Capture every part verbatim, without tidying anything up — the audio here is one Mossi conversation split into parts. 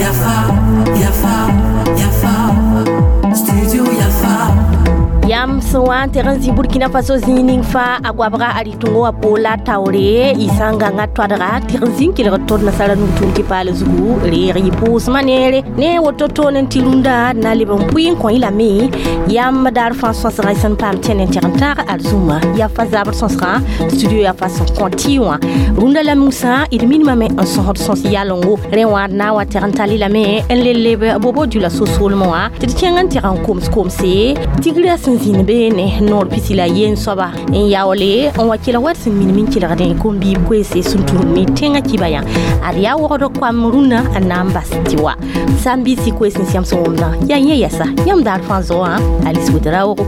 Yafa, Yafa, Yafa, Studio Yafa. Yam sẽn wa n teg n zĩ Burkina Faso zĩig ning fãa a goabga a rɩtõngo wã poola taoore y sã n gãnga toadga tɩg n zĩ n kelgd tod nasara nug-tʋʋm tɩ paal zugu reeg yɩ pʋʋsmã neere ne woto toon n tɩ rũndã na leb n pʋɩ n kõ y lame yãmb daar fãa sõsgã y sẽn paam tẽn n teg n tãag arzũmã yafa zabr sõsgã studio yafa sẽn kõ tɩ wã rũndã la musã d minimame n sõsd sõs yalengo rẽ wã d na n wa teg n tall lame n le leb Bobo Dioulasso soolmẽ wã tɩ d kẽng n teg n koms komse tigrã sẽn zĩnd beene noor pisi la yen soaba n yaoole n wa kelg wat sẽn minim n kelgdẽ kom-biib koeese sẽn tũud ne tẽngã kiba yã ad yaa wogd koam rũnnã n na n bas tɩ wa sãn-biisi koees n sẽm sẽn wʋmdã yaa yẽ yɛsa yãmb daar fãa zoa Alice Ouedraogo.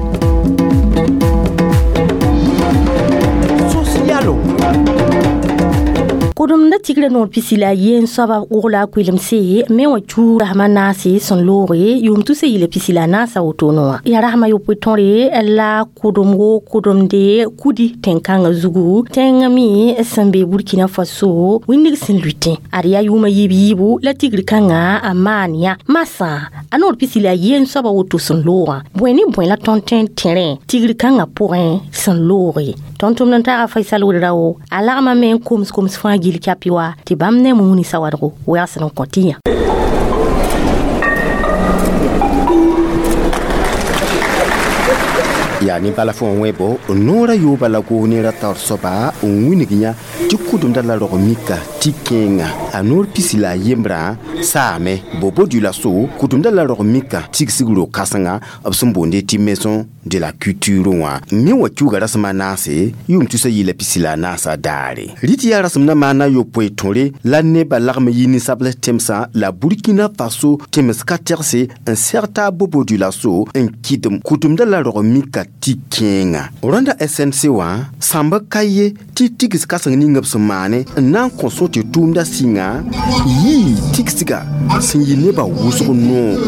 Kʋdemda tigrã noor pisi la yen soaba wogla a koelemse me wã chu rasmã naase sẽn looge yʋʋm tusa yɩla pisi la naasa wotone wã yaa rasmã yopoe tõre la kʋdemgo kʋdemde kudi tẽn-kãngã zugu tẽngã me sẽn be Burkina Faso wĩndg sẽn lʋɩtẽ ad yaa yʋʋmã yiib yiibu la tigr kãngã a maan yã masã a noor pisi la yen soaba woto sẽn loogã bõe ne bõe la tõnd tõe n tẽrẽ tigr kãngã pʋgẽ sẽn looge tõnd tʋmd n taaga Faisal Ouedraogo a lagma me n koms koms fãa gil kapi wa tɩ bãmb ne muni sawadgo wɛgs n kõ tɩ yã. Yaa ne bala fõ wẽbo noorã yooba la goog ne ra taoor soaba n wilg yã tɩ kʋdemda la rog mika tɩ kẽenga a noor pisi la a yembrã saame Bobo Dioulasso kʋdemda la rog mika tigsg ro-kãsenga b sẽn boonde tɩ maison de la culture wã me wã kiuga rasem a naase yʋʋm tusa yɩla pisi la a naasã daare rɩ tɩ yaa rasem na maana yopoe tõre la nebã lagm yi ninsabls tẽmsã la Burkina Faso tẽms ka tɛgse n sɛg taa Bobo Dioulasso n kɩdem kʋdemda la rog mika tɩ kẽenga rõnda S N C wã sãmb ka ye tɩ tigs kãseng ning b sẽn maane n na n kõ sõ tɩ tʋʋmda sɩnga yii tigsga sẽn yɩ nebã wʋsg noog.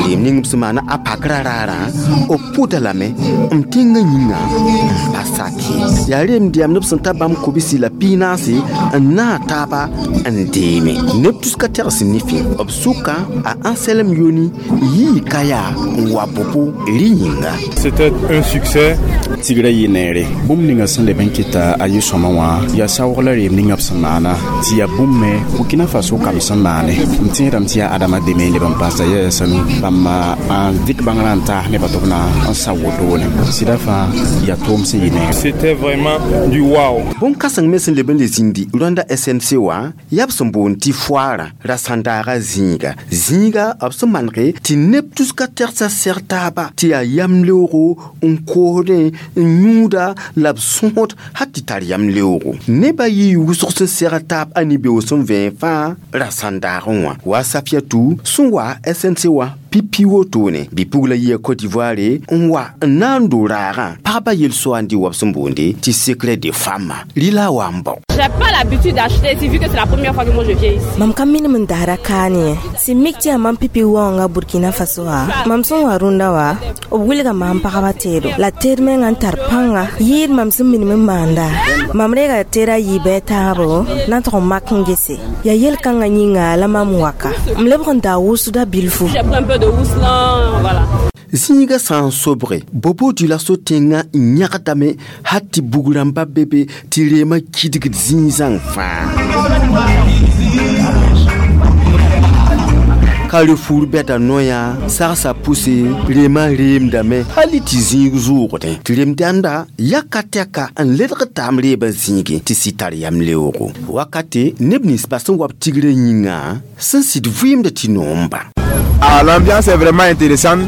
Reem ning b sẽn maana a pakra raarã b pʋda lame m tẽngã yĩnga n pa sake yaa reem dɛmd b sẽn ta bãmb kobsi la piig-naase n naag taaba n deeme neb tuska tɛgs nifẽ b sʋka a Anselme Yoni yii ka yaa n wa Bobo rɩ yĩnga. C'était un succès. Tigrã yɩ neere bũmb ninga sẽn leb n kɩta a yɩ-sõma wã yaa saoog la reem ninga b sẽn maana tɩ yaa bũmb me Burkina Faso kam sẽn maane m tẽedame tɩ yaa Adama deme n leb n paasa yɛɛsa nu bãmb n dɩk bãngrã n taas nebã tɩ b na n sa wotone sɩda fãa yaa tʋʋm sẽn yɩ neere. C'était vraiment du wow. Bõn-kãseng me sẽn leb n le zĩndi rõnda S N C wã yaa b sẽn boond tɩ foaarã ra sãndaaga zĩiga zĩiga b sẽn manege tɩ neb tuska tɛgsa sɛg taaba tɩ yaa yam-leoogo n koosdẽ n yũuda la b sõsd hal tɩ tar yam-leoogo nebã yɩ wʋsg sẽn sɛg taab a ni-beoog sẽn vẽen fãa ra sãndaagẽ wã wa Safiatou sẽn wa S N C wã pipi wotone bɩ-pugla yia Côte d'Ivoire n wa n na n do raagã pagba yel-soaandi wa b sẽn boonde tɩ secret de femme rɩla wa n bao. J'ai pas l'habitude d'acheter ici vu que c'est la première fois que moi je viens ici. Mam ka minim n dasra kaane sẽn mik tɩ yaa mam pipi waoongã Burkina Faso wã mam sẽn wa rũndã wã b wilga maam pagba teedo la teed mengã n tar pãnga yɩɩd mam sẽn minim n maanda mam reega teeda yiibã taabo na n tʋg n mak n gese yaa yel-kãngã yĩnga la mam waka m lebg n daa wʋsda bilfu. J'ai pris un peu de housselan, voilà. Zĩiga sã n sobge Bobo Dioulasso tẽngã n yãgdame hal tɩ bug rãmba be be tɩ reemã kidgd zĩig zãng fãa Carrefour bɛda noyã sagsa pʋse reemã reemdame hal tɩ zĩig zʋʋgdẽ tɩ reem-dãmda yaka tɛka n ledg taam reebã zĩigẽ tɩ sɩ tar yam-leoogo wakate neb nins ba sẽn wa b tigrã yĩnga sẽn sɩd vɩɩmd tɩ noomba. Ah, l'ambiance est vraiment intéressante.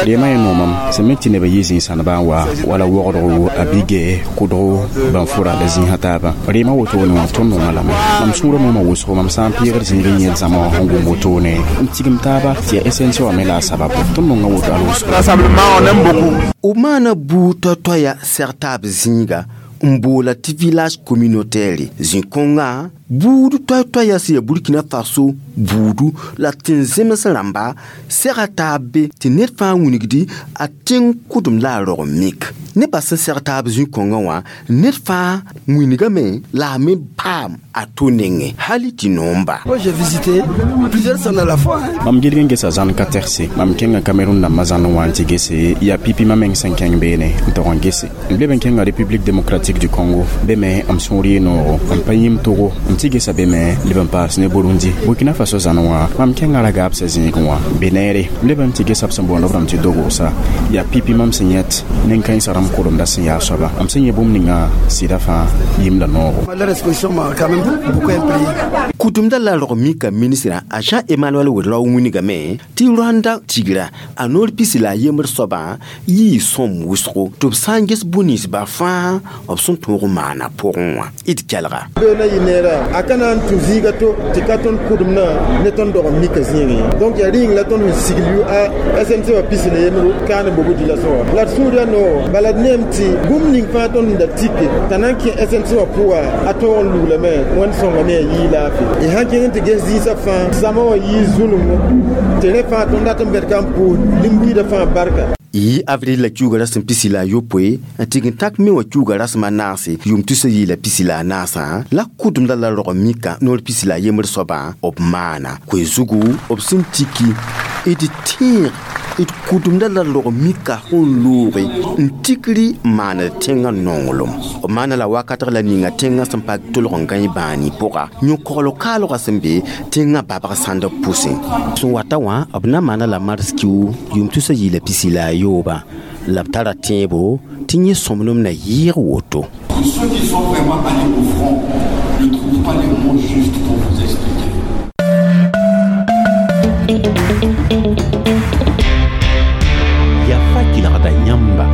Reemã yẽ noomam sẽn me tɩ nebã yɩ zĩig-sãndbã n wa wala wogdgo a bige kʋdgo bãn-fʋra la zĩisã taabã reemã wotone wã tõnd nonga lame mam sũurã noomã wʋsgo mam sã n pɩɩgd zĩig n yẽl zãma wã sẽn gom wotone n tigim taaba tɩ yaa S N C wã me la a sababu tõnd nonga woto al wʋsgo. Rassemblement, on aime beaucoup. B maana buud toa-toaya sɛg taab zĩiga n boola tɩ village communautaire zĩ-kõngã Buud toay-toaya sẽn yaa Burkina Faso buudu la tẽn-zems rãmba sega taab be tɩ ned fãa wilgdi a tẽng kʋdem la a rog mik. Nebã sẽn seg taab zĩ-kõngã wã ned fãa wilgame la a me paam a to nengẽ hali tɩ noomba. Moi, j'ai visité plusieurs zones à la fois. Hein. Mam gilg n gesa zãn ka tɛgse mam kẽnga Cameroun dãmbã zãn n wa n tɩ gese yaa pipi mam meng sẽn kẽng beene n tog n gese n leb n kẽnga République démocratique du Congo be me m sũur yɩ noogo n pa yĩm Togo n tɩ gesa be me leb n paas ne Burundi Burkina Faso zãn wã mam kẽnga ra gaabsa zĩigẽ wã be neere n leb n tɩ gesa b sẽn boond b rãmb tɩ Dogoosa yaa pipi mam sẽn yẽt nen-kãensã rãmb koremda sẽn yaa soaba m sẽn yẽ bũmb ninga sɩda fãa yĩm la noogo. Leur exposition m'a quand même beaucoup imprégné. Kʋtʋmda la rog mika ministrã a Jean Emmanuel Ouedraogo wilgame tɩ Rwanda tigra a noor pisi la a yembr soabã yɩɩ sõm wʋsgo tɩ b sã n ges bũ-ninsbã fãa b sẽn tõog n maana pʋgẽ wã d kelga. Be na yɩ neera a ka na n tũ zĩiga to tɩ ka tõnd kʋdemdã ne tõnd dog n mika zĩigẽ donc yaa rɩ la tõnd sẽn sigl yʋ a S N C wã pisi la yembro kaan n Bobo-Dioulasso wã la d sũur yaa noog bala d neem tɩ bũmb ning fãa tõnd sẽn da tike t'a na n kẽ S N C wã pʋga a tõog n luglame wẽnd sõngame a yii laafɩ y sãn kẽng n tɩ ges zĩisã fãa zãma wã yii zulungu tɩ rẽ fãa tõnd dat n bɛd ka n pʋʋs nin-buiidã fãa barka. Yɩ avril la kiuga rasem pisi la a yopoe n tɩg n tak me wã kiuga rasem a naase yʋʋm tusa yɩ la pisi la a naasã la kʋdemda la rog mika noor pisi la a yembr soabã b maana koe zugu b sẽn tiki d tẽeg d kʋdemda la rog mika sẽn looge n tikri n maand tẽngã nonglem b maana la wakatg la ninga tẽngã sẽn pa tolg n gãe bãani pʋga yõ-kogl kaalgã sẽn be tẽngã babg sãnd b pʋsẽ sẽn wata wã b na maana la mars kiu yʋʋm tusa yɩ la pisi la a yooba la b tara tẽebo tɩ yẽ sõmblem na yɩɩg woto. Ceux qui sont vraiment allés au front ne trouvent pas les mots justes pour vous expliquer. Yafa kelgda yãmba.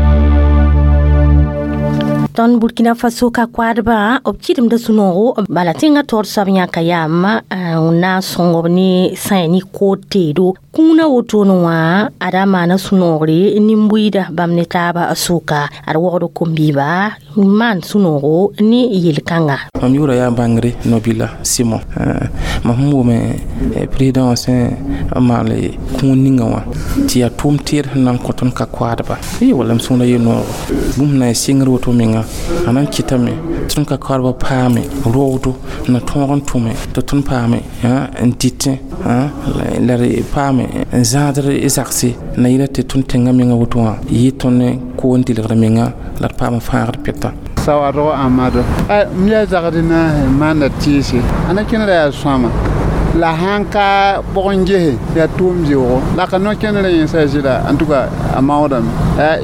Tõnd Burkina Faso ka koadbã b kɩdemda sũ-noogo bala tẽngã taoor soab yãka yaam n na n sõng b ne sã ne kood teedo kũunã wotone wã ada maana sũ-noogre nin-buiida bãmb ne taaba sʋka ad wogd kom-biiba n maan sũ-noogo ne yel-kãnga. Mam yʋʋra yaa Bãngre Nobila Simon mam sẽn wʋme président wã sẽn n maal kũun ninga wã tɩ yaa tʋʋm teed sẽn na n kõ tõnd ka koadba y wala m sũurã yee noogo bũmb na n sɩngr woto menga a na n kɩtame tɩ tõnd ka koadba paame roogdo n na tõog n tʋme tɩ tõnd paame n dɩtẽ la d paame n zãadr zagse na yɩla tɩ tõnd tẽngã menga woto wã yɩ tõnd koon dɩlgr menga la d paam fãagd pɛta. Sawadogo Amadu m yaa zagd naase maanda tɩɩse a na kẽnera yaa sõama la sãn ka bog n gese yaa tʋʋm zeoogo la ka no-kẽnerã yẽnsa zɩla en tout cas a maoodame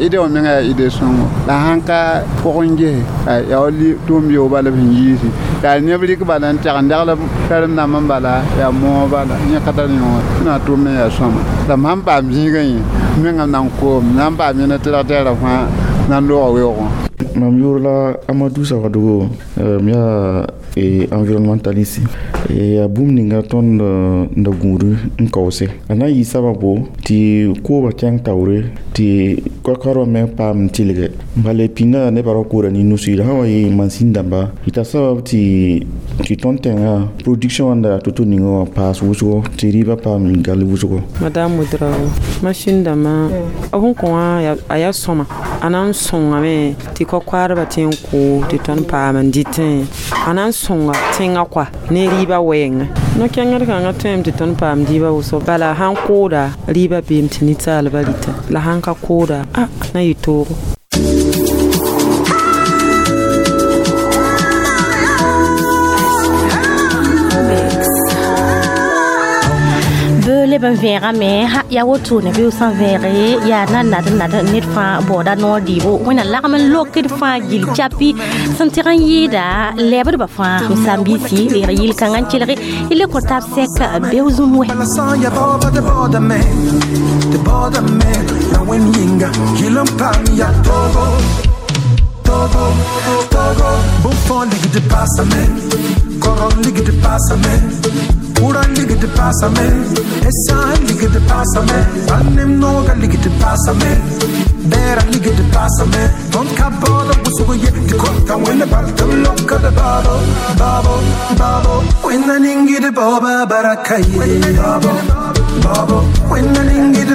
ide wã menga yaa ide sõngo la sãn ka pʋg n gese yaa wa tʋʋm zeoog bala b sẽn yiisi yaa neb rɩk bala n tɛg n degl karen-dãmb n bala yaa moog bala yẽ ka tar yõor na tʋʋm yaa sõama la m sãn paam zĩigã yẽ mengã na n koom na n paam yẽna tɩ rag tɛɛra fãa na n looga weoogẽ. Mam yʋʋr la Amadou Sawadogo m yaa environnementaliste yaa bũmb ninga tõnd n da gũud n kaoose a na n yɩ sababo tɩ kooba kẽng taoore tɩ koa-koadbã me paam n tɩlge bala pĩndã nebã ra koora ne nusi la sã wa yɩ mansĩn dãmba yɩ sabab tɩ tɩ tõnd tẽngã production wãnda yaa to-to ninga wã paas wʋsgo tɩ rɩɩbã paam gal wʋsgo. Madame Ouedraogo machine dãmbã b sẽn kõ wã a yaa sõma a na n sõngame tɩ koa-koadbã tẽ n koo tɩ tõnd paam n dɩtẽ a na n sõnga tẽngã koa ne rɩɩbã wɛɛngã no-kẽngd kãngã tõeme tɩ tõnd paam dɩɩbã wʋsgo bala sãn kooda rɩɩbã beem tɩ ninsaalbã rɩta la sãn ka kooda a na yɩ toogo. Leb n vẽegame yaa wotone bɩ sã n vẽege yaa na nad n nad ned fãa baooda noor dɩɩbo wẽnna lagm n lokd fãa gill capi sẽn tɩg n yɩɩda lɛɛbdbã fãa m saam-biisi reeg yɩl-kãngã n kelge y le kõ tab sɛk beo zũm wɛ. Pura ligd paasame, Esa ligd paasame, Bãmb nooga ligd paasame, Bɛɛra ligd paasame, Tõnd ka baood b wʋsg ye tɩ kõta Wẽnd bal tɩ b lokd baabo, baabo, baabo. Wẽnda ning d baooba baraka ye, baabo, baabo. Wẽnda ning d